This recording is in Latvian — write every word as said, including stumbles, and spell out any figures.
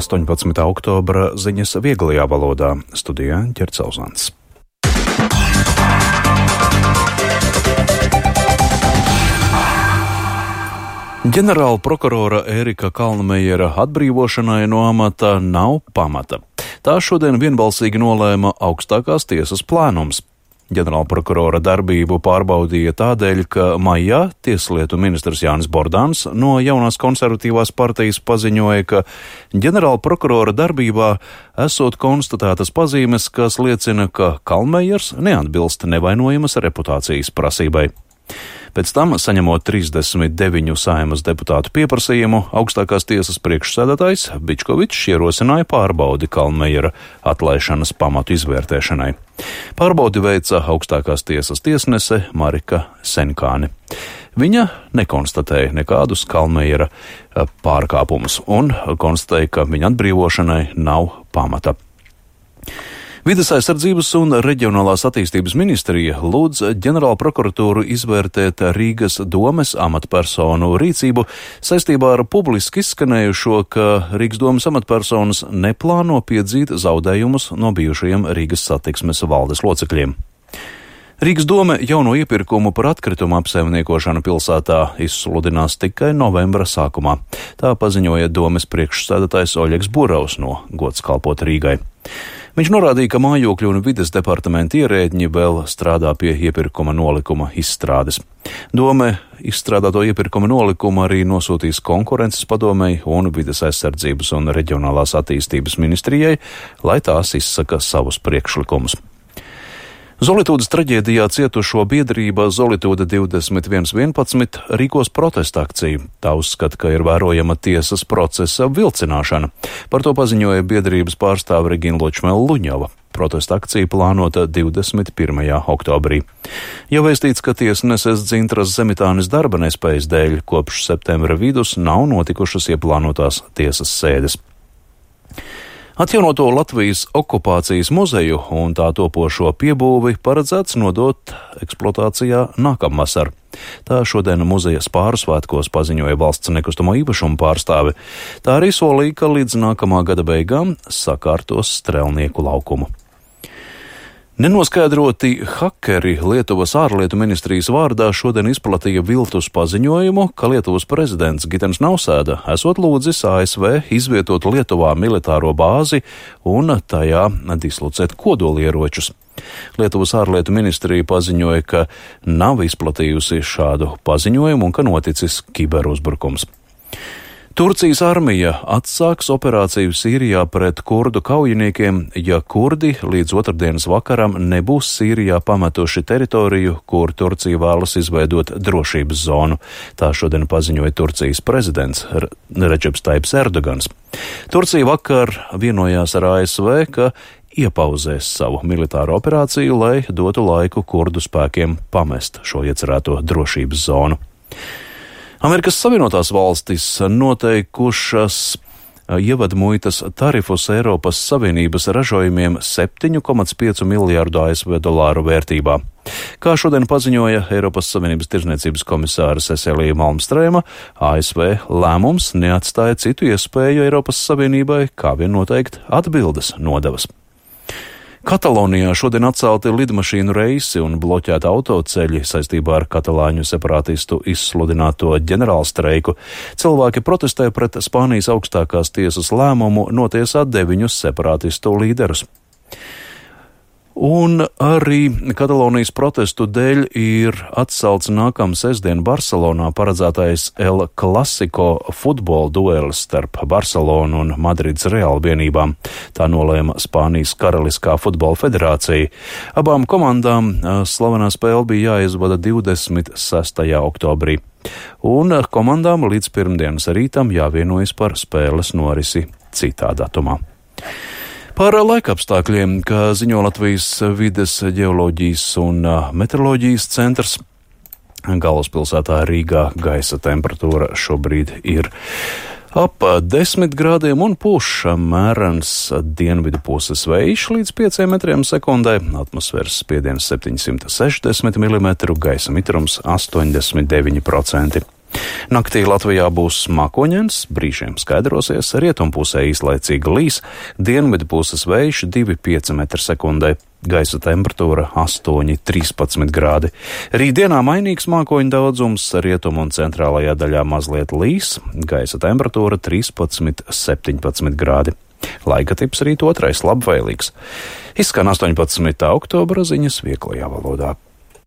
astoņpadsmitā oktobra ziņas vieglajā valodā. Studijā Ķercauzāns. Ģenerāla prokurora Ērika Kalnmejera atbrīvošanai no amata nav pamata. Tā šodien vienbalsīgi nolēma augstākās tiesas plēnums. Ģenerāla prokurora darbību pārbaudīja tādēļ, ka maijā tieslietu ministrs Jānis Bordāns no jaunās konservatīvās partijas paziņoja, ka ģenerāla prokurora darbībā esot konstatētas pazīmes, kas liecina, ka Kalnmejers neatbilst nevainojamas reputācijas prasībai. Pēc tam, saņemot trīsdesmit deviņu Saeimas deputātu pieprasījumu, augstākās tiesas priekšsēdētājs Bičkovičs ierosināja pārbaudi Kalnmejera atlaišanas pamatu izvērtēšanai. Pārbaudi veica augstākās tiesas tiesnese Marika Senkāne. Viņa nekonstatēja nekādus Kalnmejera pārkāpumus un konstatēja, ka viņa atbrīvošanai nav pamata. Vides aizsardzības un reģionālās attīstības ministrija lūdz ģenerāla prokuratūru izvērtēt Rīgas domes amatpersonu rīcību saistībā ar publiski izskanējušo, ka Rīgas domes amatpersonas neplāno piedzīt zaudējumus no bijušajiem Rīgas satiksmes valdes locekļiem. Rīgas dome jauno iepirkumu par atkritumu apsaimniekošanu pilsētā izsludinās tikai novembra sākumā. Tā paziņoja domes priekšsēdētājs Oļegs Buravs no Gods kalpot Rīgai. Viņš norādīja, ka mājokļu un vides departamenta ierēdņi vēl strādā pie iepirkuma nolikuma izstrādes. Dome izstrādāto iepirkuma nolikumu arī nosūtīs konkurences padomei un vides aizsardzības un reģionālās attīstības ministrijai, lai tās izsaka savus priekšlikumus. Zolitūdas traģēdijā cietušo biedrība Zolitūda divdesmit viens vienpadsmit rīkos protesta akciju. Tā uzskata, ka ir vērojama tiesas procesa vilcināšana. Par to paziņoja biedrības pārstāve Regina Ločmela-Luņova. Protesta akcija plānota divdesmit pirmajā oktobrī. Jau vēstīts, ka tiesneses Dzintras Zemitānes darba nespējas dēļ kopš septembra vidus nav notikušas ieplānotās tiesas sēdes. Atjaunoto Latvijas okupācijas muzeju un tā topošo piebūvi paredzēts nodot eksploatācijā nākamvasar. Tā šodien muzeja spāru svētkos paziņoja valsts nekustamo īpašumu pārstāve. Tā arī solīja, ka līdz nākamā gada beigām sakārtos Strelnieku laukumu. Nenoskaidroti hakeri Lietuvas ārlietu ministrijas vārdā šodien izplatīja viltus paziņojumu, ka Lietuvas prezidents Gitens Nausēda esot lūdzis A S V izvietot Lietuvā militāro bāzi un tajā dislocēt kodolieročus. Lietuvas ārlietu ministrija paziņoja, ka nav izplatījusi šādu paziņojumu un ka noticis kiberuzbrukums. Turcijas armija atsāks operāciju Sīrijā pret kurdu kaujiniekiem, ja kurdi līdz otrdienas vakaram nebūs Sīrijā pametuši teritoriju, kur Turcija vēlas izveidot drošības zonu. Tā šodien paziņoja Turcijas prezidents Redžeps Taips Erdogans. Turcija vakar vienojās ar A S V, ka iepauzēs savu militāro operāciju, lai dotu laiku kurdu spēkiem pamest šo iecerēto drošības zonu. Amerikas Savienotās valstis noteikušas ievadmuitas tarifus Eiropas Savienības ražojumiem septiņu komats pieci miljārdu A S V dolāru vērtībā. Kā šodien paziņoja Eiropas Savienības tirdzniecības komisāra Cecilija Malmstrēma, A S V lēmums neatstāja citu iespēju Eiropas Savienībai, kā vien noteikt atbildes nodevas. Katalonijā šodien atcelti lidmašīnu reisi un bloķēta autoceļi saistībā ar katalāņu separātistu izsludināto ģenerālstreiku. Cilvēki protestē pret Spānijas augstākās tiesas lēmumu notiesāt deviņus separātistu līderus. Un arī Katalonijas protestu dēļ ir atcelts nākamā sestdien Barcelonā paredzētais El Clasico futbola duelis starp Barcelonu un Madrides Real vienībām. Tā nolēma Spānijas Karaliskā futbola federācija. Abām komandām slavenā spēle bija jāizvada divdesmit sestajā oktobrī. Un komandām līdz pirmdienas rītam jāvienojas par spēles norisi citā datumā. Par laikapstākļiem, kā ziņo Latvijas vides, ģeoloģijas un meteoroloģijas centrs, galvaspilsētā Rīgā gaisa temperatūra šobrīd ir ap desmit grādiem un pūš mērens dienvidu puses vējš līdz pieciem metriem sekundē, atmosfēras spiediens septiņsimt sešdesmit milimetru, gaisa mitrums astoņdesmit deviņi procenti. Naktī Latvijā būs mākoņdienas, brīžiem skaidrosies, rietumpusē īslaicīgi līs, dienvidu puses vējš divi pieci metri sekundē, gaisa temperatūra astoņi trīspadsmit grādi. Rītdienā mainīgs mākoņu daudzums, rietumu un centrālajā daļā mazliet līs, gaisa temperatūra trīspadsmit septiņpadsmit grādi. Laika tips rīt otrais labvēlīgs. Izskan astoņpadsmitā oktobra ziņas vieglajā valodā.